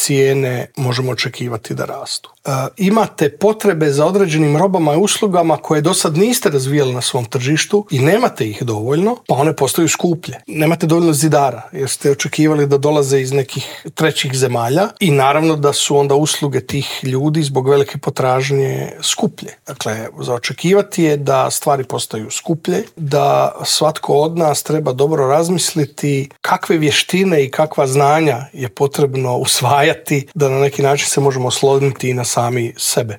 cijene možemo očekivati da rastu. Imate potrebe za određenim robama i uslugama koje do sad niste razvijali na svom tržištu i nemate ih dovoljno, pa one postaju skuplje. Nemate dovoljno zidara jer ste očekivali da dolaze iz nekih trećih zemalja i naravno da su onda usluge tih ljudi zbog velike potražnje skuplje. Dakle, za očekivati je da stvari postaju skuplje, da svatko od nas treba dobro razmisliti kakve vještine i kakva znanja je potrebno usvajati da na neki način se možemo osloniti i na sami sebe.